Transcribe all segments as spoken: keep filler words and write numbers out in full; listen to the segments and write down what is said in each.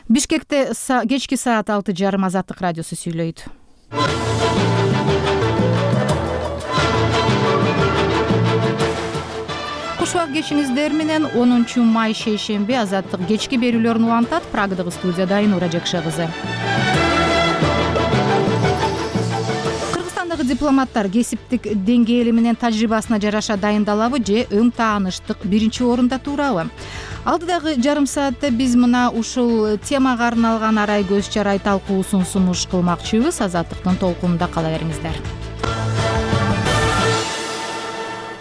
Бишкекте кечки саат алты жарым Азаттык радиосу сүйлөйт. Куш убак кечиңиздер менен онунчу май шейшемби Азаттык кечки берүүлөрүн улантат. Прагадагы студияда Айнура Жакша кызы. Кыргызстандагы дипломаттар кесиптик деңгээли менен тажрыйбасына жараша дайындалабы же өң тааныштык биринчи орунда турабы? Алдыдагы жарым саатта биз мына ушул темага арналган арай көз чарай талкуусун сунуш кылмакчыбыз. Азаттыктын толкунунда кала бериңиздер.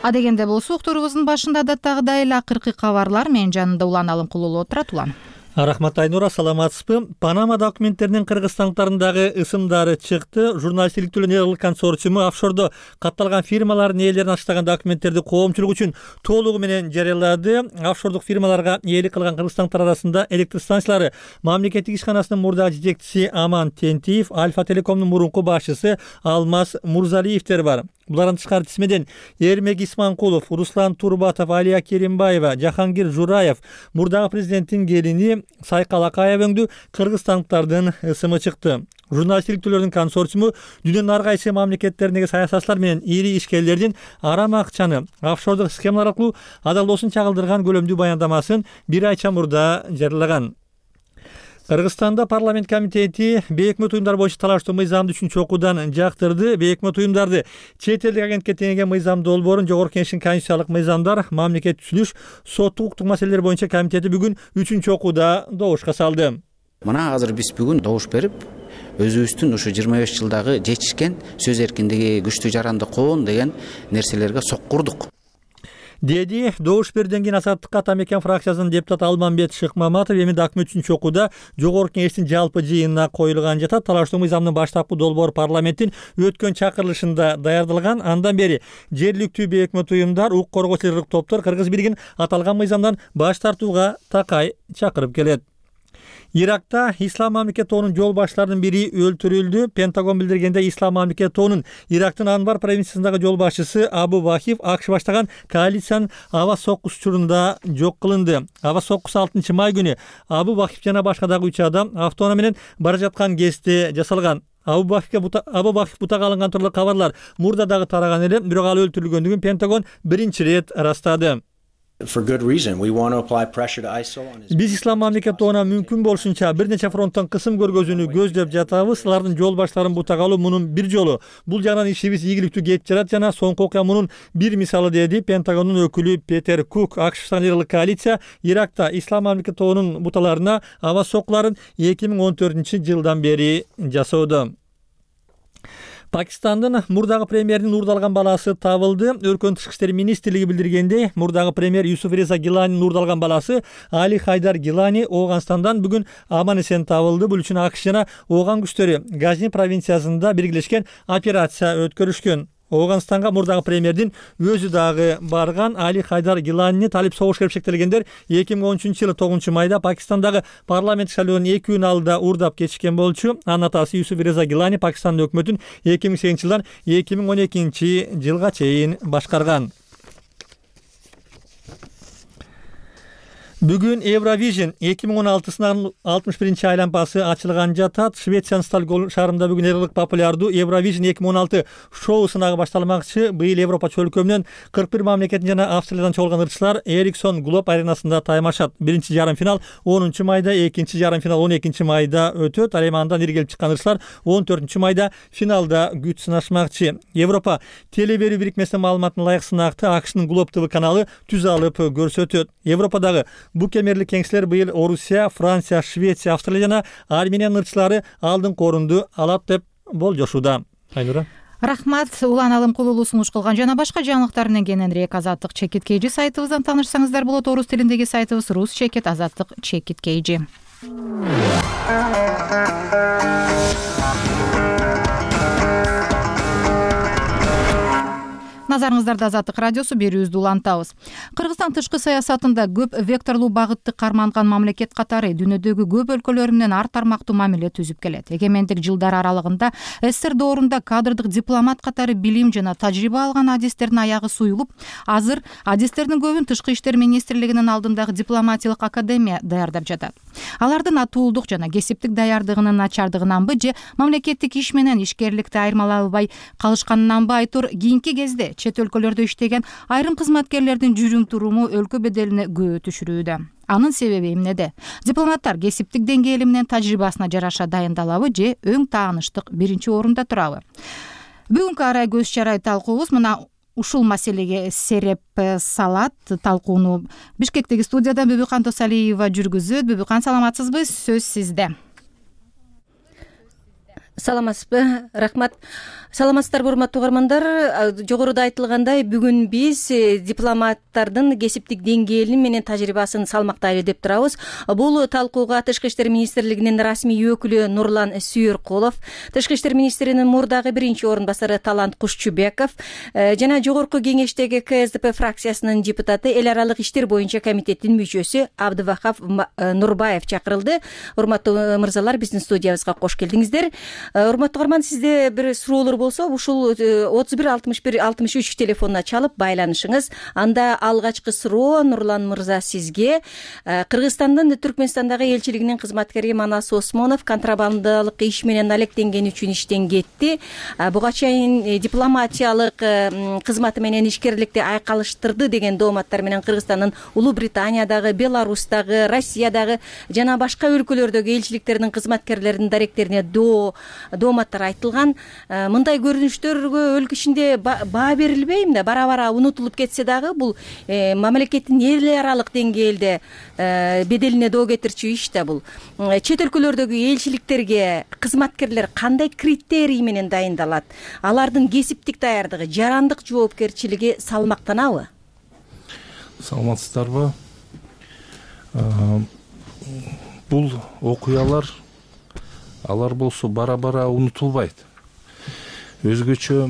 Адегенде болсо уктурубуздун башында адаттагыдай эле акыркы кабарлар менин жанымда Улан Алымкулуу отурат. Улан. Рахмат Айнура, саламатсызбы? Панама документтеринин кыргызстандыктардагы ысымдары чыкты. Журналисттик Нерлик консорциуму офшордо катталган фирмалардын ээлерин ачтаган документтерди коомчулук үчүн толугу менен жарыялады. Офшордук фирмаларга ээлик кылган кыргызстандыктар арасында электр станциялары мамлекеттик ишканасынын мурдагы жетекчиси Аман Тентиев, Альфа Телекомдун мурунку башчысы Алмаз Мурзалиевдер бар. Булардан тышкары тизмеден Эрмек Исманкулов, Руслан Турбатов, Алия Керимбаева, Жахангир Жураев, мурдагы президенттин келини Сайкал Акаевеңдүү кыргызстандыктардын ысымы чыкты. Журналисттик түрлөрдүн консорциуму дүйнөнүн ар кайсы мамлекеттериндеги саясатчылар менен ири ишкерлердин арам акчаны офшордук схемалар аркылуу адалдоосун чагылдырган көлөмдүү баяндамасын бир айча мурда жарыялаган. Кыргызстанда парламент комитети бейөкмөт уюмдар боюнча талаштуу мыйзамды үчүнчү окуудан жактырды. Бейөкмөт уюмдарды чет элдик агентке теңеген мыйзам долбоорун Жогорку Кеңештин конституциялык мыйзамдар, мамлекеттик түзүлүш, соттук укуктук маселелер боюнча комитети бүгүн үчүнчү окууда добушка салды. Мына азыр биз бүгүн добуш берип, өзүбүздүн ушу жыйырма беш жылдагы жетишкен сөз эркиндиги, күчтүү жаранды коон деген нерселерге соккурдук. Деди добуш берүүдөн кийин Азаттыкка Атамекен фракциясынын депутаты Алмамбет Шыкмаматов. Эми документ үчүнчү окууда Жогорку Кеңештин жалпы жыйынына коюлган жатат. Талаштуу мыйзамдын баштапкы долбоору парламенттин өткөн чакырылышында даярдалган. Андан бери жергиликтүү бейөкмөт уюмдар, укук коргоочу топтор Кыргыз бийлигин аталган мыйзамдан баш тартууга такай чакырып келет. Иракта Ислам мамлекет тоонун жол башчыларынын бири өлтүрүлдү. Пентагон билдиргенде Ислам мамлекет тоонун Ирактын Анбар провинциясындагы жол башчысы Абу Вахиф АКШ баштаган коалициянын аба соккусу учурунда жок кылынды. Аба соккусу алтынчы май күнү Абу Вахиф жана башка дагы үч адам автоунаа менен бара жаткан кезде жасалган. Абу Вахифке Абу Вахиф бутага алынган тууралуу кабарлар мурда дагы тараган эле, бирок ал өлтүрүлгөндүгүн Пентагон биринчи ирет ырастады. Биз Ислам мамлекет тоонуна мүмкүн болушунча бир нече фронттон кысым көргөзүүнү көздөп жатабыз. Алардын жол баштарын бутага алуу мунун бир жолу. Бул жагынан ишибиз ийгиликтүү кетип жатат жана соңку окуя мунун бир мисалы, деди Пентагондун өкүлү Петер Кук. АКШ коалиция Иракта Ислам мамлекет тоонун буталарына аба соккуларын эки миң он төртүнчү жылдан бери жасоодо. Пакистандын мурдагы премьеринин уурдалган баласы табылды. Өркөн тышкы иштер министрлиги билдиргендей, мурдагы премьер Юсуф Реза Гиланинин уурдалган баласы Али Хайдар Гилани Ооганстандан бүгүн аман эсен табылды. Бул үчүн АКШ жана Ооган күчтөрү Газни провинциясында биргелешкен операция өткөрүшкөн. Ооганстанга мурдагы премьердин өзү дагы барган. Али Хайдар Гиланини талип согуш керип шектелгендер эки миң он үчүнчү жылы тогузунчу майда Пакистандагы парламент шайлоонун эки күн алдыда уурдап кетишкен болчу. Анын атасы Юсуф Реза Гилани Пакистандын өкмөтүн эки миң сегизинчи жылдан эки миң он экинчи жылга чейин башкарган. Бүгүн Евровижн эки миң он алтысынын алтымыш биринчи айлампасы ачылган жатат. Швециянын Стокгольм шаарында бүгүн эрлик популярдуу Евровижн эки миң он алты шоу сынагы башталмакчы. Быйыл Европа чөлкөмүнөн кырк бир мамлекеттен жана Австриядан чогулган ырчылар Эриксон Глоб аренасында таймашат. Биринчи жарым финал онунчу майда, экинчи жарым финал он экинчи майда өтөт. Ал эми андан иргелип чыккан ырчылар он төртүнчү майда финалда күч сынашмакчы. Европа теле берүү бирикмесинин маалыматына ылайык сынаакты АКШнын Глоб ТВ каналы түз алып көрсөтөт. Европадагы бу кемерлик кеңселер быйыл Орусия, Франция, Швеция, Австралия жана Армениянын ырчылары алдыңкы орунду алат деп болжошууда. Айнура. Рахмат. Улан Алымкулуу сунуш кылган жана башка жаңылыктар менен кененирээк Азаттык Чекит Кейжи сайтыбыздан таанышсаңыздар болот. Орус тилиндеги сайтыбыз Рус Чекит Азаттык Чекит Кейжи. Назарыңыздарда Азаттык радиосу берүүбүздү улантабыз. Кыргызстан тышкы саясатында көп векторлуу багытты карманган мамлекет катары дүйнөдөгү көп өлкөлөр менен ар тармактуу мамиле түзүп келет. Эгемендик жылдар аралыгында СССР доорунда кадрдык дипломат катары билим жана тажрыйба алган адистердин аягы суюлуп, азыр адистердин көбүн Тышкы иштер министрлигинин алдындагы дипломатиялык академия даярдап жатат. Алардын атуулдук жана кесиптик даярдыгынын начардыгынанбы же мамлекеттик иш менен ишкерликти айырмалай албай калышканынанбы айтор кийинки кезде чет өлкөлөрдө иштеген айрым кызматкерлердин жүрүм туруму өлкө беделине күбө түшүрүүдө. Анын себеби эмнеде? Дипломаттар кесиптик деңгээли менен тажрыйбасына жараша дайындалабы же өң тааныштык биринчи орунда турабы? Бүгүнкү арай көз чарай талкуубуз мына ушул маселеге сереп салат. Талкууну Бишкектеги студиядан Бүбүкан Тосалиева жүргүзөт. Бүбүкан, саламатсызбы? Сөз сизде. Саламатсызбы? Рахмат. Саламатсыздарбы, урматтуу угармандар? Жогоруда айтылгандай, бүгүн биз дипломаттардын кесиптик деңгээли менен тажрыйбасын салмактайлы деп турабыз. Бул талкууга Тышкы иштер министрлигинин расмий өкүлү Нурлан Сүйөркулов, Тышкы иштер министринин мурдагы биринчи орун басары Талант Кушчубеков жана жогорку кеңештеги ка эс дэ пэ фракциясынын депутаты, эл аралык иштер боюнча комитеттин мүчөсү Абдывахап Нурбаев чакырылды. Урматтуу мырзалар, биздин студиябызга кош келдиңиздер. Урматтуу угарман, сизде бир суроолор болсо, ушул отуз бир алтымыш бир алтымыш үч телефонуна чалып байланышыңыз. Анда алгачкы суроо Нурлан мырза сизге. Кыргызстандын Түркмөнстандагы элчилигинин кызматкери Манас Осмонов контрабандалык иш менен алектенген үчүн иштен кетти. Буга чейин дипломатиялык кызматы менен ишкерликти айкалыштырды деген дооматтар менен Кыргызстандын Улуу Британиядагы, Беларустагы, Россиядагы жана башка өлкөлөрдөгү элчиликтеринин кызматкерлеринин даректерине доо дооматтар айтылган. Мындай көрүнүштөргө өлкө ичинде баа берилбейм да, бара-бара унутулуп кетсе дагы бул мамлекеттин эл аралык деңгээлде беделине доо кетирчү иш да бул. Чет өлкөлөрдөгү элчиликтерге кызматкерлер кандай критерий менен дайындалат? Алардын кесиптик даярдыгы, жарандык жоопкерчилиги салмактанабы? Саламатсыздарбы? Бул окуялар алар болсо бара-бара унутулбайт. Өзгөчө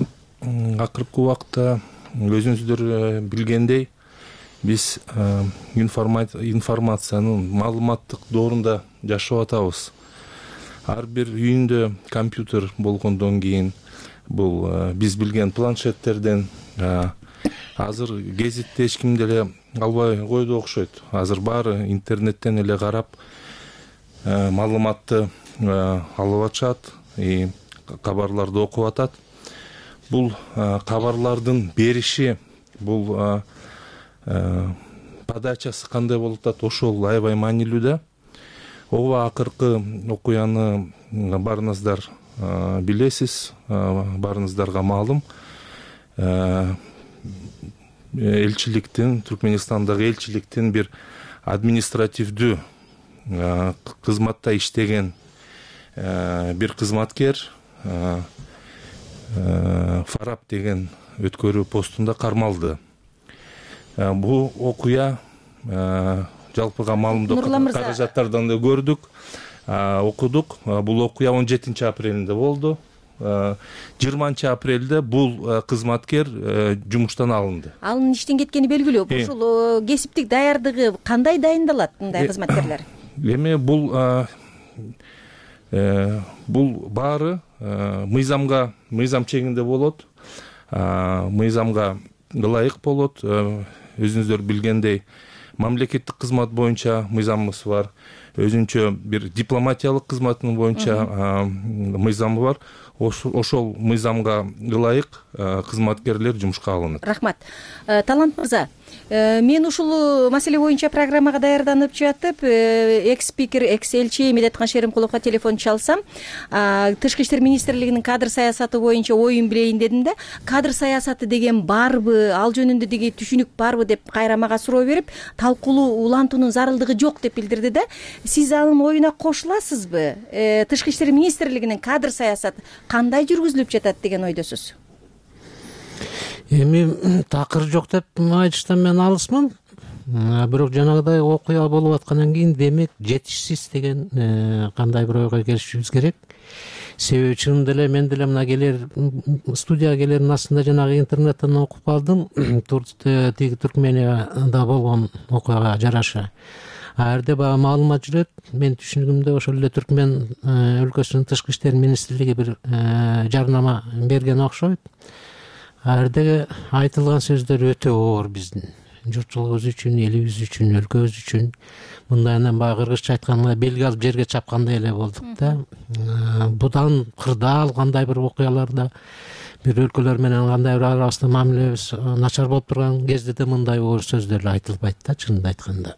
акыркы убакта өзүңүздөр билгендей, биз информациянын маалыматтык доорунда жашап атабыз. Ар бир үйүндө компьютер болгондон кийин бул биз билген планшеттерден азыр гезитти эч ким деле албай койду окшойт. Азыр баары интернеттен эле карап маалыматты алып атышат, кабарларды окуп атат. Бул кабарлардын бериши, бул подачасы кандай болуп атат, ошол аябай маанилүү да. Ооба, акыркы окуяны баарыңыздар билесиз, баарыңыздарга маалым. Элчиликтин, Түркмөнстандагы элчиликтин бир административдүү кызматта иштеген бир кызматкер Фарап деген өткөрүү постунда кармалды. Бул окуя жалпыга маалымдоо каражаттардан да көрдүк, окудук. Бул окуя он жетинчи апрелинде болду. жыйырманчы апрелде бул кызматкер жумуштан алынды. Анын иштен кеткени белгилүү. Ушул кесиптик даярдыгы кандай дайындалат мындай кызматкерлер? Эми бул бул баары мыйзамга, мыйзам чегинде болот. Мыйзамга ылайык болот. Өзүңүздөр билгендей, мамлекеттик кызмат боюнча мыйзамыбыз бар. Өзүнчө бир дипломатиялык кызматтын боюнча мыйзамы бар. Ошол мыйзамга ылайык кызматкерлер жумушка алынат. Рахмат. Талант мырза, мен ушул маселе боюнча программага даярданып жатып, экс-спикер, экс-элчи Медеткан Шеримкуловго телефон чалсам, Тышкы иштер министрлигинин кадр саясаты боюнча оюн билейин дедим да, кадр саясаты деген барбы, ал жөнүндө деги түшүнүк барбы деп кайра мага суроо берип, талкуулуу улантуунун зарылдыгы жок деп билдирди да. Сиз анын оюна кошуласызбы? Тышкы иштер министрлигинин кадр саясаты кандай жүргүзүлүп жатат деген ойдосуз? Эми такыр жок деп айтыштан мен алысмын. Бирок жанагыдай окуя болуп аткандан кийин демек жетишсиз деген кандай бир ойго келишибиз керек. Себеби чынында эле мен деле мына келер студияга келердин астында жанагы интернеттен окуп алдым. Тиги Түркменияда болгон окуяга жараша. Аарде баягы маалымат жүрөт. Мен түшүнүгүмдө ошол эле Түркмен өлкөсүнүн тышкы иштер министрлиги бир жарнама берген окшойт. Ардеги айтылган сөздөр өтө оор биздин. журтчулугубуз үчүн, элибиз үчүн, өлкөбүз үчүн мындайынан баягы кыргызча айтканда белги алып жерге чапкандай эле болдук да. Будан кырдаал кандай бир окуяларда бир өлкөлөр менен кандай бир арабызда мамилебиз начар болуп турган кезде да мындай оор сөздөр эле айтылбайт да, чынын айтканда.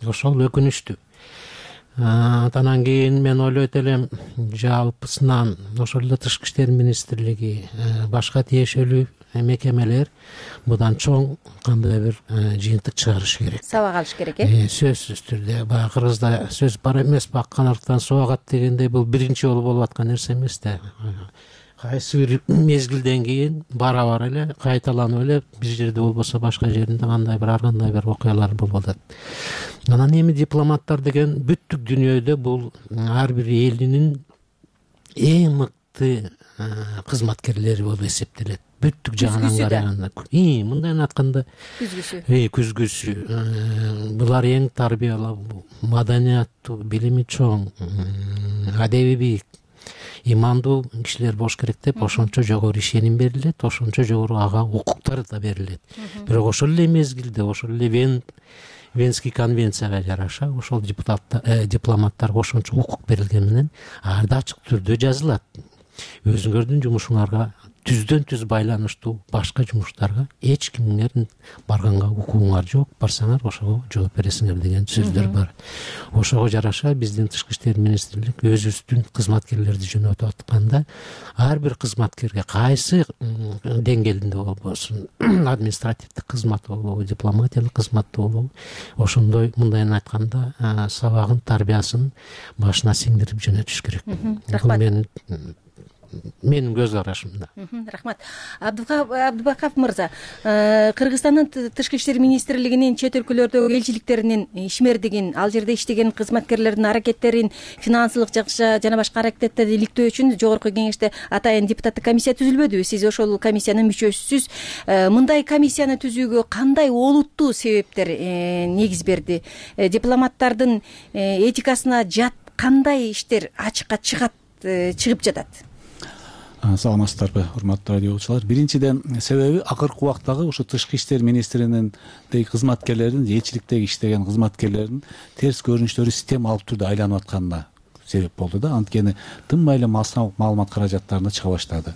Ошол өкүнүчтүү. Андан кийин мен ойлойт элем, жалпысынан ошол эле Тышкы иштер министрлиги, башка тиешелүү мекемелер мындан чоң кандай бир жыйынтык чыгарыш керек, сабак алыш керек. Э сөзсүз түрдө баягы кыргызда сөз бар эмес, баккан арктан суу агат дегендей, бул биринчи жолу болуп аткан нерсе эмес да. Кайсы бир мезгилден кийин бара бара эле кайталанып эле бир жерде болбосо башка жеринде кандай бир ар кандай бир окуялар болуп атат. Анан эми дипломаттар деген бүттүк дүйнөдө бул ар бир элинин эң мыкты кызматкерлери болуп эсептелет. Бүттүк жагынан караганда, мындай айтканда күзгүсү. Э, күзгүсү. Булар эң тарбиялуу, маданияттуу, билими чоң, адеби бийик, имандуу кишилер болуш керек деп ошончо жогору ишеним берилет, ошончо жогору ага укуктар да берилет. Бирок ошол эле мезгилде, ошол эле Вен Венский конвенцияга жараша ошол депутаттар, дипломаттарга ошончо укук берилген менен арда ачык түрдө жазылат. Өзүңөрдүн жумушуңарга түздөн түз байланыштуу башка жумуштарга эч кимиңердин барганга укугуңар жок, барсаңар ошого жооп бересиңер деген сөздөр бар. Ошого жараша биздин Тышкы иштер министрлик өзүбүздүн кызматкерлерди жөнөтүп атканда ар бир кызматкерге кайсы деңгээлинде болбосун, административдик кызмат болобу, дипломатиялык кызмат болобу, ошондой мындайын айтканда сабагын, тарбиясын башына сиңдирип жөнөтүш керек. Бул менин менин көз карашым да. Рахмат. Абдубаков мырза, Кыргызстандын Тышкы иштер министрлигинин чет өлкөлөрдөгү элчиликтеринин ишмердигин, ал жерде иштеген кызматкерлердин аракеттерин финансылык жана башка аракеттерди иликтөө үчүн жогорку кеңеште атайын депутаттык комиссия түзүлбөдүбү? Сиз ошол комиссиянын мүчөсүсүз. Мындай комиссияны түзүүгө кандай олуттуу себептер негиз берди? Дипломаттардын этикасына жат кандай иштер ачыкка чыгат, чыгып жатат? Саламатсыздарбы, урматтуу радио угуучулар. Биринчиден себеби акыркы убактагы ушу Тышкы иштер министринин кызматкерлеринин, элчиликтеги иштеген кызматкерлердин терс көрүнүштөрү система алып түрдө айланып атканына себеп болду да. Анткени тынбай эле маалымат каражаттарына чыга баштады.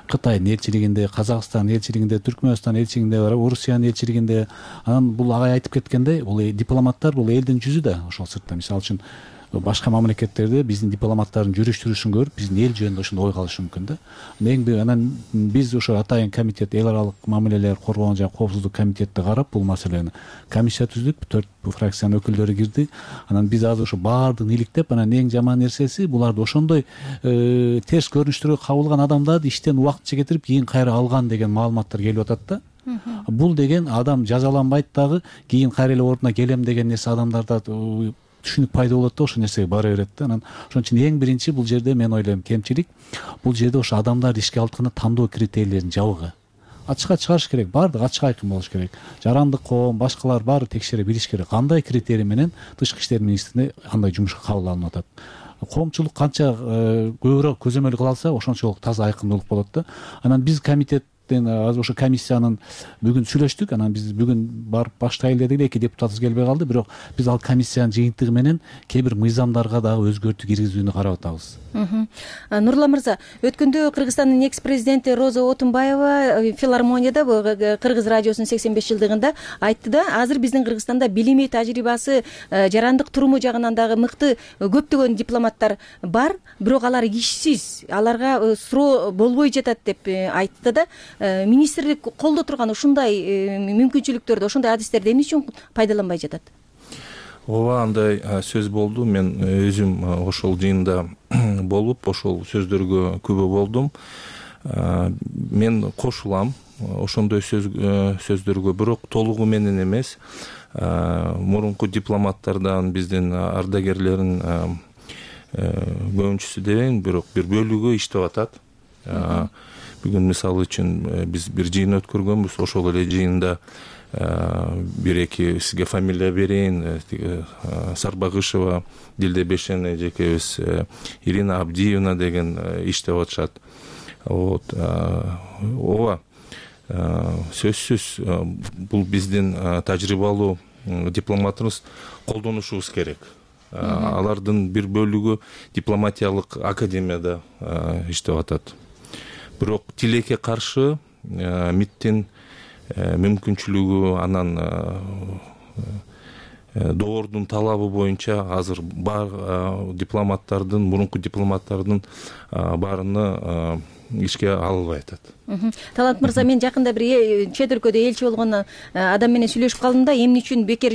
Кытайдын элчилигинде, Казакстандын элчилигинде, Түркмөнстан элчилигинде, Орусиянын элчилигинде. Анан бул агай айтып кеткендей, бул дипломаттар бул элдин жүзү да. Ошол сыртта мисалы үчүн башка мамлекеттерде биздин дипломаттардын жүрүш жүрүшүн көрүп биздин эл жөнүндө ошондой ой калышы мүмкүн да. Эң анан биз ошо атайын комитет, эл аралык мамилелер коргоон жана коопсуздук комитетти карап бул маселени комиссия түздүк, төрт фракциянын өкүлдөрү кирди. Анан биз азыр ошо баардыгын иликтеп, анан эң жаман нерсеси буларды ошондой терс көрүнүштөргө кабылган адамдарды иштен убактыча кетирип кийин кайра алган деген маалыматтар келип атат да. Бул деген адам жазаланбайт дагы, кийин кайра эле ордуна келем деген нерсе адамдарда түшүнүк пайда болот да, ошол нерсеге бара берет да. Анан ошон үчүн эң биринчи бул жерде мен ойлойм кемчилик бул жерде ошо адамдарды ишке алтканда тандоо критерийлерин жабыгы ачыкка чыгарыш керек, баардыгы ачык айкын болуш керек. Жарандык коом, башкалар баары текшере билиш керек. Кандай критерий менен Тышкы иштер министрине андай жумушка кабыл алынып атат. Коомчулук канча көбүрөөк көзөмөл кыла алса, ошончолук таза айкындуулук болот да. Анан биз комитет азыр ошо комиссиянын бүгүн сүйлөштүк. Анан биз бүгүн барып баштайлы дедик эле, эки депутатыбыз келбей калды. Бирок биз ал комиссиянын жыйынтыгы менен кээ бир мыйзамдарга дагы өзгөртүү киргизүүнү карап атабыз. Нурлан мырза, өткөндө Кыргызстандын экс президенти Роза Отунбаева филармонияда Кыргыз радиосунун сексен беш жылдыгында айтты да, азыр биздин Кыргызстанда билими, тажрыйбасы, жарандык туруму жагынан дагы мыкты көптөгөн дипломаттар бар, бирок алар ишсиз, аларга суроо болбой жатат деп айтты да. Министрлик колдо турган ушундай мүмкүнчүлүктөрдү, ошондой адистерди эмне үчүн пайдаланбай жатат? Ооба, андай сөз болду. Мен өзүм ошол жыйында болуп, ошол сөздөргө күбө болдум. Мен кошулам ошондой сөздөргө, бирок толугу менен эмес. Мурунку дипломаттардан биздин ардагерлерин көбүнчүсү дебейин, бирок бир бөлүгү иштеп атат. Бүгүн мисалы үчүн биз бир жыйын өткөргөнбүз. Ошол эле жыйында бир эки сизге фамилия берейин. Сарбагышева Дилде Бешен эжекебиз, Ирина Абдиевна деген иштеп атышат. Вот. Ооба. сөзсүз бул биздин тажрыйбалуу дипломатыбыз колдонушубуз керек. Алардын бир бөлүгү дипломатиялык академияда иштеп атат. Бирок тилекке каршы МИДтин мүмкүнчүлүгү, анан доордун талабы боюнча азыр бар дипломаттардын, мурунку дипломаттардын баарыны ишке алынбай атат. Талант мырза, мен жакында бир чет өлкөдө элчи болгон адам менен сүйлөшүп калдым да, эмне үчүн бекер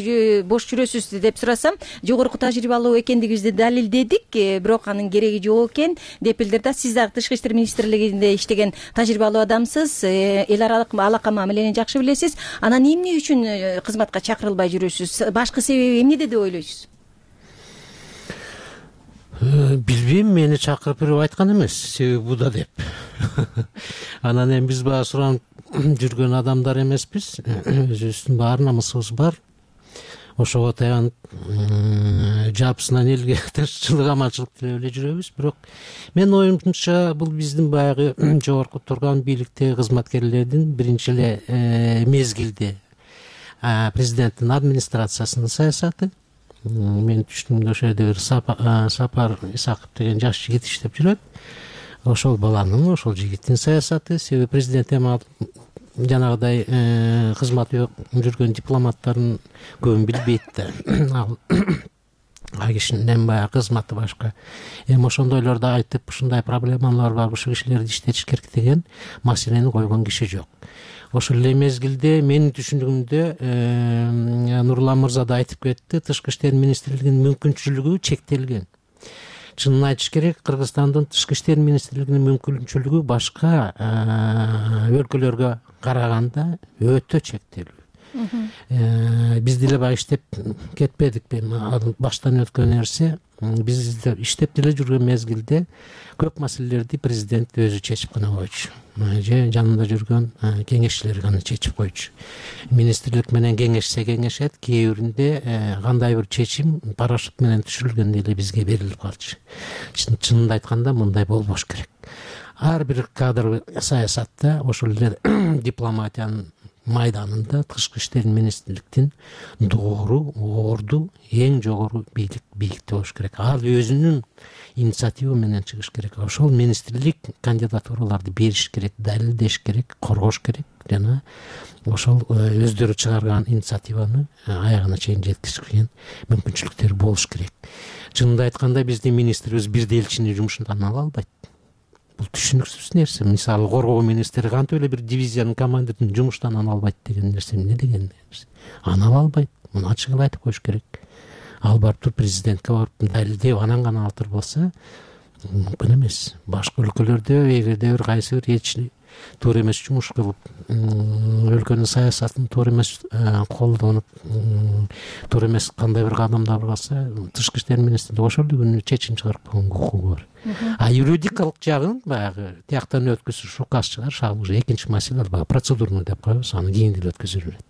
бош жүрөсүз деп сурасам, жогорку тажрыйбалуу экендигибизди далилдедик, бирок анын кереги жок экен деп билдирди да. Сиз дагы Тышкы иштер министрлигинде иштеген тажрыйбалуу адамсыз, эл аралык алака мамилени жакшы билесиз. Анан эмне үчүн кызматка чакырылбай жүрөсүз? Башкы себеби эмнеде деп ойлойсуз? Билбейм, мени чакырып бирөө айткан эмес, себеби буда деп. Анан эми биз баягы суранып жүргөн адамдар эмеспиз. Өзүбүздүн баары намысыбыз бар. Ошого таянып жапысынан элге тынччылык, аманчылык тилеп эле жүрөбүз. Бирок менин оюмча бул биздин баягы жогорку турган бийликтеги кызматкерлердин биринчи эле мезгилде президенттин администрациясынын саясаты. Мен түшүнүмдө ошол жерде бир Сапар Исаков деген жаш жигит иштеп жүрөт. Ошол баланын, ошол жигиттин саясаты. Себеби президент эми жанагыдай кызмат жүргөн дипломаттардын көбүн билбейт да. Ал кишинин баягы кызматы башка. Эми ошондойлорду айтып, ушундай проблемалар бар, ушул кишилерди иштетиш керек деген маселени койгон киши жок. Ошол эле мезгилде менин түшүндүгүмдө Нурлан мырза да айтып кетти, Тышкы иштер министрлигинин мүмкүнчүлүгү чектелген. Чынын айтыш керек, Кыргызстандын Тышкы иштер министрлигинин мүмкүнчүлүгү башка өлкөлөргө караганда өтө чектелүү. Биз деле баягы иштеп кетпедик, баштан өткөн нерсе. Биз иштеп деле жүргөн мезгилде көп маселелерди президент өзү чечип гана койчу. Же жанында жүргөн кеңешчилер гана чечип койчу. Министрлик менен кеңешсе кеңешет, кээ биринде кандай бир чечим парашют менен түшүрүлгөн эле бизге берилип калчу. Чынында айтканда мындай болбош керек. Ар бир кадр саясатта ошол эле дипломатиянын майданында Тышкы иштер министрликтин доору, орду эң жогору бийлик бийликте болуш керек. Ал өзүнүн инициатива менен чыгыш керек. Ошол министрлик кандидатураларды бериш керек, далилдеш керек, коргош керек жана ошол өздөрү чыгарган инициативаны аягына чейин жеткизген мүмкүнчүлүктөр болуш керек. Чынында айтканда биздин министрибиз бирде элчини жумушунан ала албайт. Бул түшүнүксүз нерсе. Мисалы, коргоо министри кантип эле бир дивизиянын командирин жумуштан ала албайт деген нерсе эмне деген нерсе? Ана ала албайт. Муну ачык эле айтып коюш керек. Ал барып туруп президентке барып далилдеп анан гана алтыр болсо мүмкүн эмес. Башка өлкөлөрдө эгерде бир кайсы бир элчи туура эмес жумуш кылып, өлкөнүн саясатын туура эмес колдонуп, туура эмес кандай бир кадамдар кылса, Тышкы иштер министрлиги ошол күнү чечим чыгарып койгонго укугу бар. А юридикалык жагын баягы тияктан өткөзүш, указ чыгарыш, ал уже экинчи маселе, баягы процедурный деп коебуз, аны кийин деле өткөзүп жүрөт.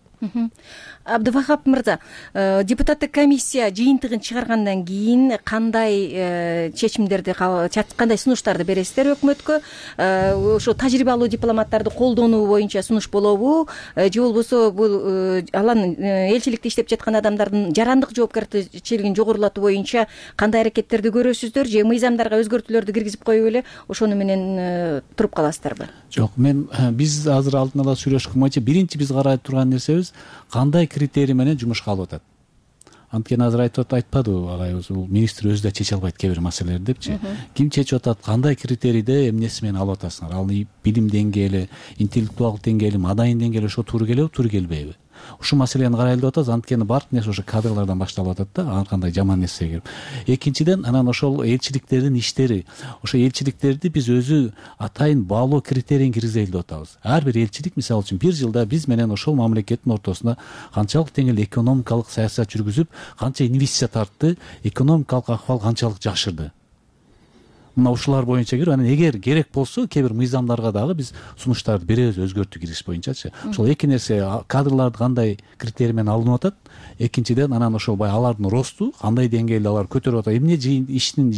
Абдывахап мырза, депутаттык комиссия жыйынтыгын чыгаргандан кийин кандай чечимдерди, кандай сунуштарды бересиздер өкмөткө? Ошо тажрыйбалуу дипломаттарды колдонуу боюнча сунуш болобу, же болбосо бул алан элчиликте иштеп жаткан адамдардын жарандык жоопкерчилигин жогорулатуу боюнча кандай аракеттерди көрөсүздөр, же мыйзамдарга өзгөртүүлөрдү киргизип коюп эле ошону менен туруп каласыздарбы? Жок, мен биз азыр алдын ала сүйлөшкөн боюнча биринчи биз карап турган нерсебиз кандай критерий менен жумушка алып атат. Анткени азыр айтып айтпадыбы агайыбыз, бул министр өзү да чече албайт кээ бир маселелерди депчи. Ким чечип атат, кандай критерийде эмнеси менен алып атасыңар? Ал билим деңгээли, интеллектуалдык деңгээли, маданий деңгээли ошо туура келеби, туура келбейби? Ушул маселени карайлы деп атабыз. Анткени баардык нерсе ошо кадрlardan башталып атат да, ар кандай жаман нерсеге кирип. Экинчиден, анан ошол элчиликтердин иштери, ошо элчиликтерди биз өзү атайын баалоо критерийин киргизели деп атабыз. Ар бир элчилик, мисалы үчүн, бир жылда биз менен ошол мамлекеттин ортосунда канчалык деңгээлде экономикалык саясат жүргүзүп, канча инвестиция тартты, экономикалык акыбал канчалык жакшырды. мына ушулар боюнча кирип анан эгер керек болсо кээ бир мыйзамдарга дагы биз сунуштарды беребиз өзгөртүү киргизиш боюнчачы. Ошол эки нерсе кадрларды кандай критерий менен алынып атат, экинчиден анан ошол баягы алардын росту кандай деңгээлде алар көтөрүп атат, эмне иштин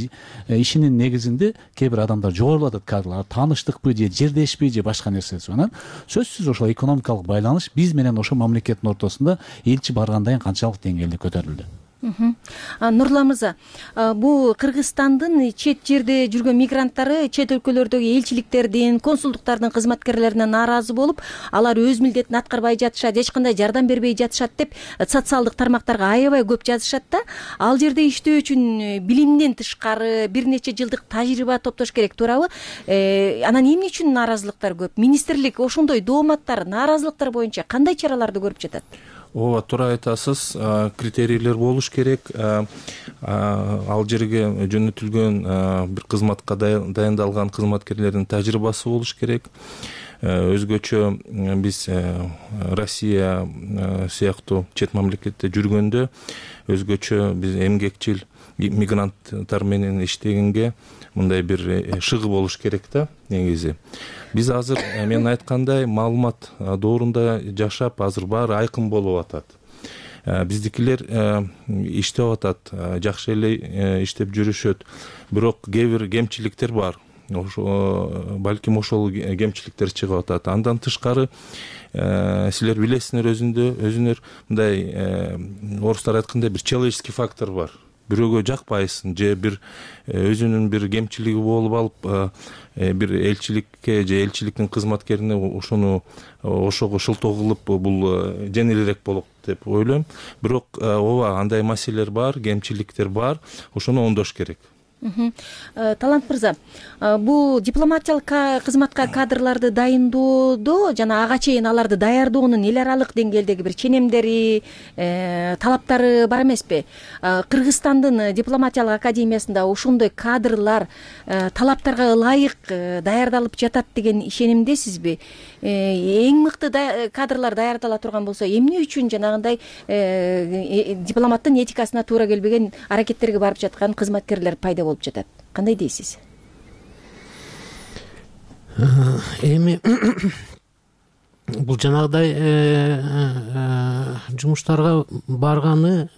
ишинин негизинде кээ бир адамдар жогорулап атат кадрлар, тааныштыкпы же жердешпи же башка нерсеси. Анан сөзсүз ошол экономикалык байланыш биз менен ошол мамлекеттин ортосунда элчи баргандан кийин канчалык деңгээлде көтөрүлдү. Нурлан мырза, бул Кыргызстандын чет жерде жүргөн мигранттары чет өлкөлөрдөгү элчиликтердин, консулдуктардын кызматкерлерине нааразы болуп, алар өз милдетин аткарбай жатышат, эч кандай жардам бербей жатышат деп социалдык тармактарга аябай көп жазышат да. Ал жерде иштөө үчүн билимден тышкары бир нече жылдык тажрыйба топтош керек, туурабы? Анан эмне үчүн нааразылыктар көп? Министрлик ошондой дооматтар, нааразылыктар боюнча кандай чараларды көрүп жатат? Ооба, туура айтасыз. Критерийлер болуш керек. Ал жерге жөнөтүлгөн бир кызматка дайындалган кызматкерлердин тажрыйбасы болуш керек. Өзгөчө биз Россия сыяктуу чет мамлекетте жүргөндө өзгөчө биз эмгекчил мигранттар менен иштегенге мындай бир шыгы болуш керек да негизи. Биз азыр мен айткандай маалымат доорунда жашап, азыр баары айкын болуп атат. Биздикилер иштеп атат, жакшы эле иштеп жүрүшөт. Бирок кээ бир кемчиликтер бар. Балким ошол кемчиликтер чыгып атат. Андан тышкары силер билесиңер, өзүңөр мындай орустар айткандай бир человеческий фактор бар. Бирөөгө жакпайсың же бир өзүнүн бир кемчилиги болуп алып бир элчиликке же элчиликтин кызматкерине ошону ошого шылтоо кылып бул жеңилирээк болот деп ойлойм. Бирок ооба, андай маселелер бар, кемчиликтер бар, ошону оңдош керек. Талант мырза, бул дипломатиялык кызматка кадрларды дайындоодо жана ага чейин аларды даярдоонун эл аралык деңгээлдеги бир ченемдери, талаптары бар эмеспи? Кыргызстандын дипломатиялык академиясында ошондой кадрлар талаптарга ылайык даярдалып жатат деген ишенимдесизби? Эң мыкты кадрлар даярдала турган болсо, эмне үчүн жанагындай дипломаттын этикасына туура келбеген аракеттерге барып жаткан кызматкерлер пайда болуп жатат? Кандай дейсиз? Эми бул жанагыдай жумуштарга барганы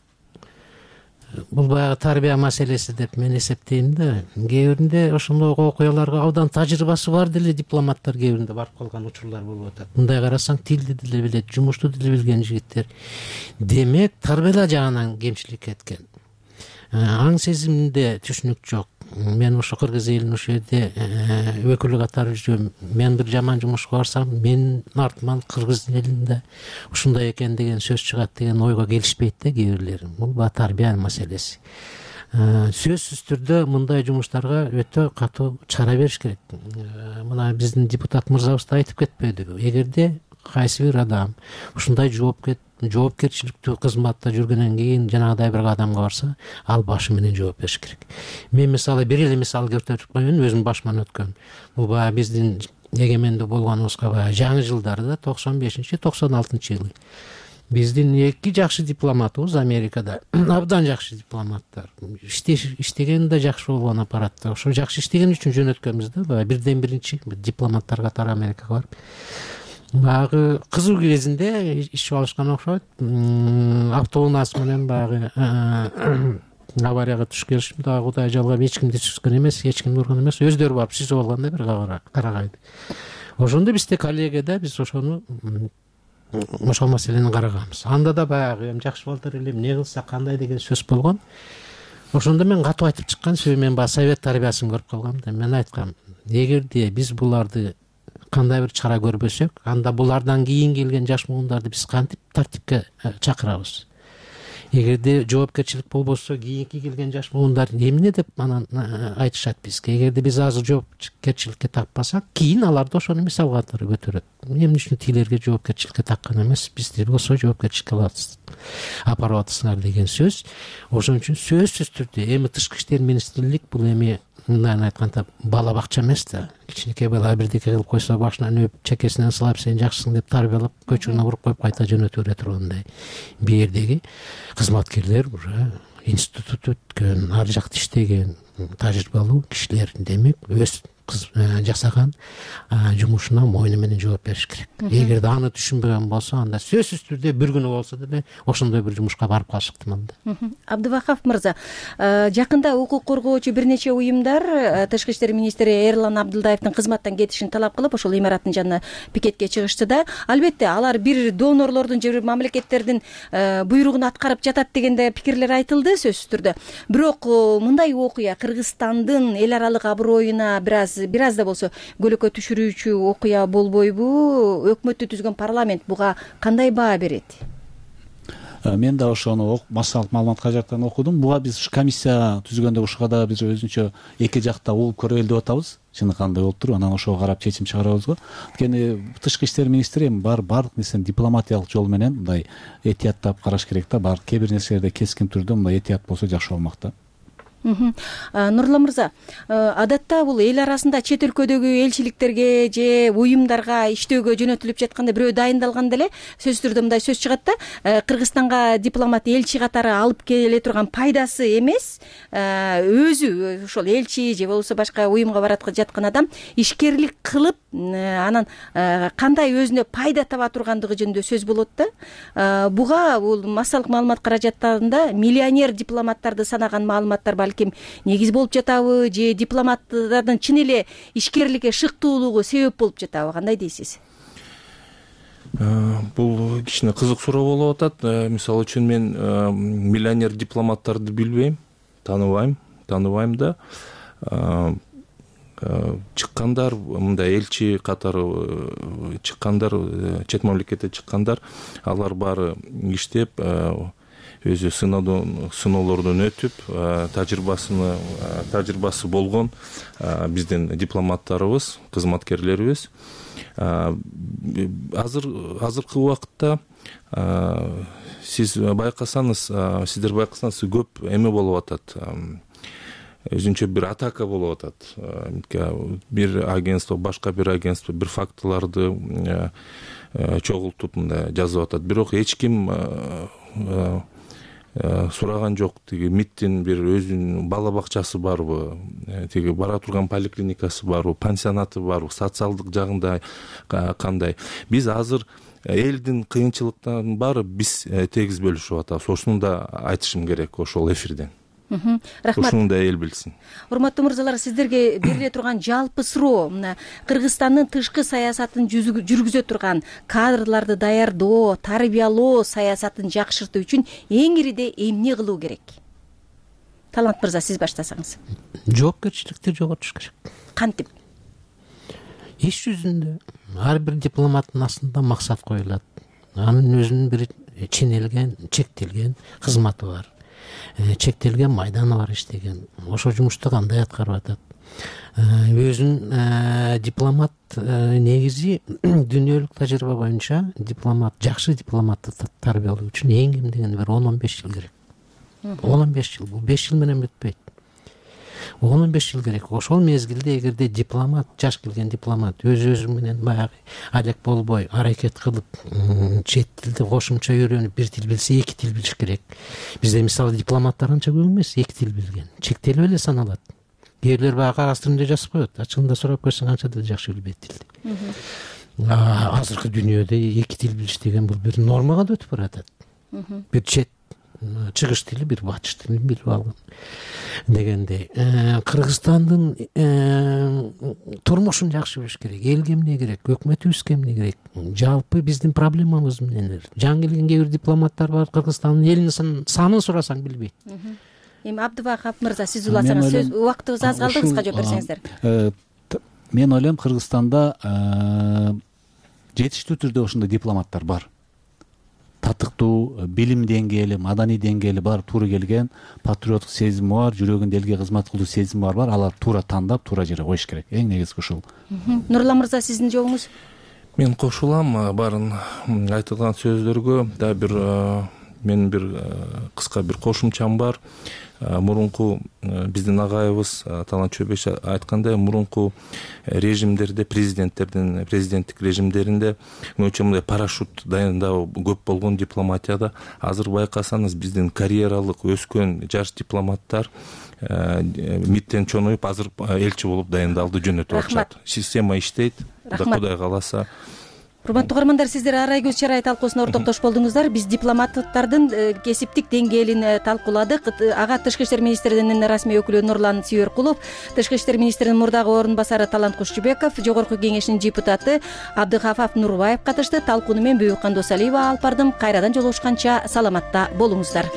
бул баягы тарбия маселеси деп мен эсептейм да. Кээ биринде ошондой окуяларга абдан тажрыйбасы бар деле дипломаттар кээ биринде барып калган учурлар болуп атат. Мындай карасаң, тилди деле билет, жумушту деле билген жигиттер. Демек, тарбия жагынан кемчилик кеткен. Аң сезиминде түшүнүк жок. Мен ошо кыргыз элинин ошол жерде өкүлү катары жүрөм. Мен бир жаман жумушка барсам, менин артыман кыргыз элинде ушундай экен деген сөз чыгат деген ойго келишпейт да кээ бирлери. Бул тарбия маселеси. Сөзсүз түрдө мындай жумуштарга өтө катуу чара бериш керек. Мына биздин депутат мырзабыз да айтып кетпедиби? Эгерде кайсы бир адам ушундай жооп жоопкерчиликтүү кызматта жүргөндөн кийин жанагыдай бир кадамга барса, ал башы менен жооп бериш керек. Мен мисалы бир эле мисал келтирип коеюн, өзүм башыман өткөн. Бул баягы биздин эгемендүү болгонубузга баягы жаңы жылдарда токсон бешинчи токсон алтынчы жылы биздин эки жакшы дипломатыбыз Америкада, абдан жакшы дипломаттар. Иштеген да жакшы болгон аппаратта. Ошо жакшы иштеген үчүн жөнөткөнбүз да, баягы бирден биринчи дипломаттар катары Америкага барып. Баягы кызуу кезинде ишип алышкан окшойт. Автобус менен баягы аварияга түшүп келишим, дагы Кудай жалгап эч кимди түшкөн эмес, эч кимди урган эмес, өздөрү барып сүзүп алганда бир карагайды. Ошондо бизде коллегияда биз ошону ошол маселени караганбыз. Анда да баягы эми жакшы болтур эле, эмне кылсак кандай деген сөз болгон. Ошондо мен катуу айтып чыккан, себеби мен баягы совет тарбиясын көрүп калгам да. Мен айткам, эгерде биз буларды кандай бир чара көрбөсөк, анда булардан кийин келген жаш муундарды биз кантип тартипке чакырабыз? Эгерде жоопкерчилик болбосо, кийинки келген жаш муундар эмне деп анан айтышат бизге? Эгерде биз азыр жоопкерчиликке такпасак, кийин алар да ошону мисал катары көтөрөт. Эмне үчүн тилерге жоопкерчиликке таккан эмес, бизди болсо жоопкерчиликке апарып атасыңар деген сөз. Ошон үчүн сөзсүз түрдө эми тышкы иштер министрлик бул эми мындай айтканда бала бакча эмес да. Кичинекей бала бирдеке кылып койсо башынан өп, чекесинен сылап сен жакшысың деп тарбиялап, көчөгүнө буруп коюп кайта жөнөтө бере тургандай. Бу жердеги кызматкерлер уже институт өткөн, ар жакта иштеген тажрыйбалуу кишилер демек өз жасаган жумушуна мойну менен жооп бериш керек. Эгерде аны түшүнбөгөн болсо, анда сөзсүз түрдө бир күнү болсо деле ошондой бир жумушка барып калышы ыктымал да. Абдывахап мырза, жакында укук коргоочу бир нече уюмдар Тышкы иштер министри Эрлан Абдылдаевдин кызматтан кетишин талап кылып, ошол имараттын жанына пикетке чыгышты да. Албетте, алар бир донорлордун же бир мамлекеттердин буйругун аткарып жатат дегенде пикирлер айтылды сөзсүз түрдө. Бирок мындай окуя Кыргызстандын эл аралык аброюна бир аз бир аз да болсо көлөкө түшүрүүчү окуя болбойбу? Өкмөттү түзгөн парламент буга кандай баа берет? Мен да ошону массалык маалымат кажаттан окудум. Буга биз комиссия түзгөндө ушуга да биз өзүнчө эки жакта угуп көрөлү деп атабыз. Чыны кандай болуп туруп, анан ошого карап чечим чыгарабыз го. Анткени Тышкы иштер министри эми бар баардык нерсени дипломатиялык жол менен мындай этияттап караш керек да. Бар кээ бир нерселерде кескин түрдө мындай этият болсо жакшы болмок да. Нурлан мырза, адатта бул эл арасында чет өлкөдөгү элчиликтерге же уюмдарга иштөөгө жөнөтүлүп жатканда бирөө дайындалганда эле сөзсүз түрдө мындай сөз чыгат да: Кыргызстанга дипломат элчи катары алып келе турган пайдасы эмес, өзү ошол элчи же болбосо башка уюмга барат жаткан адам ишкерлик кылып, анан кандай өзүнө пайда таба тургандыгы жөнүндө сөз болот да. Буга бул массалык маалымат каражаттарында миллионер дипломаттарды санаган маалыматтар балким негиз болуп жатабы, же дипломаттардын чын эле ишкерликке шыктуулугу себеп болуп жатабы? Кандай дейсиз? Бул кичине кызык суроо болуп атат. Мисалы үчүн мен миллионер дипломаттарды билбейм, тааныбайм, тааныбайм да. Чыккандар, мындай элчи катары чыккандар, чет мамлекетте чыккандар, алар баары иштеп, өзү сыноолордон өтүп, тажрыйбасыны тажрыйбасы болгон биздин дипломаттарыбыз, кызматкерлерибиз. Азыр азыркы убакытта сиз байкасаңыз, сиздер байкасаңыз көп эме болуп атат. Өзүнчө бир атака болуп атат. Бир агентство, башка бир агентство бир фактыларды чогултуп мындай жазып атат. Бирок эч ким сураган жок. Тиги МИДтин бир өзүнүн бала бакчасы барбы, тиги бара турган поликлиникасы барбы, пансионаты барбы, социалдык жагында кандай. Биз азыр элдин кыйынчылыктарынын баары биз тегиз бөлүшүп атабыз. Ошону да айтышым керек ошол эфирден. Рахмат. Ошону да эл билсин. Урматтуу мырзалар, сиздерге бериле турган жалпы суроо: Кыргызстандын тышкы саясатын жүргүзө турган кадрларды даярдоо, тарбиялоо саясатын жакшыртуу үчүн эң ириде эмне кылуу керек? Талант мырза, сиз баштасаңыз. Жоопкерчиликти жоготуш керек. Кантип? Иш жүзүндө ар бир дипломаттын астында максат коюлат. Анын өзүнүн бир ченелген, чектелген кызматы бар. Чектелген майданы бар иштеген. Ошо жумушту кандай аткарып атат? Өзүн дипломат негизи дүйнөлүк тажрыйба боюнча дипломат, жакшы дипломатты тарбиялоо үчүн эң кем дегенде бир он он беш жыл керек. он он беш жыл, бул беш жыл менен бүтпөйт. он он беш жыл керек. Ошол мезгилде эгерде дипломат, жаш келген дипломат өз өзү менен баягы алек болбой, аракет кылып, чет тилди кошумча үйрөнүп, бир тил билсе, эки тил билиш керек. Бизде мисалы дипломаттар анча көп эмес, эки тил билген. Чектелип эле саналат. Кээ бирлер баягы кагаз түрүндө жазып коет. Ачыгында сурап көрсөң канча да жакшы билбейт тилди. Азыркы дүйнөдө эки тил билиш деген бул бир нормага да өтүп баратат. Бир чет чыгыш тили, бир батыш тилин билип алган дегендей. Кыргызстандын турмушун жакшы билиш керек. Элге эмне керек, өкмөтүбүзгө эмне керек, жалпы биздин проблемабыз эмнелер. Жаңы келген кээ бир дипломаттар бар, Кыргызстандын элинин санын сурасаң билбейт. Эми Абдывахап мырза, сиз уласаңыз, сөз убактыбыз аз калды, кыска жооп берсеңиздер. Мен ойлойм, Кыргызстанда жетиштүү түрдө ошондой дипломаттар бар. Татыктуу, билим деңгээли, маданий деңгээли бар, туура келген, патриоттук сезими бар, жүрөгүндө элге кызмат кылуу сезими бар бар. Алар туура тандап, туура жерге коюш керек. Эң негизги ушул. Нурлан мырза, сиздин жообуңуз? Мен кошулам баарын айтылган сөздөргө. Да бир менин бир кыска бир кошумчам бар. мурунку биздин агайыбыз Талант Чөбеш айткандай, мурунку режимдерде, президенттердин президенттик режимдеринде мынча мындай парашют дайындоо көп болгон дипломатияда. Азыр байкасаңыз биздин карьералык өскөн жаш дипломаттар миттен чоноюп азыр элчи болуп дайындалды, жөнөтүп атышат. Система иштейт. Кудай кааласа. Урматтуу угармандар, сиздер Арай көз чарай талкуусуна ортоктош болдуңуздар. Биз дипломаттардын кесиптик деңгээлин талкууладык. Ага Тышкы иштер министринин расмий өкүлү Нурлан Сүйөркулов, Тышкы иштер министринин мурдагы орун басары Талант Кушчубеков, Жогорку кеңешинин депутаты Абдыхафаф Нурбаев катышты. Талкууну мен Бүйүккан Досалиева алып бардым. Кайрадан жолугушканча саламатта болуңуздар.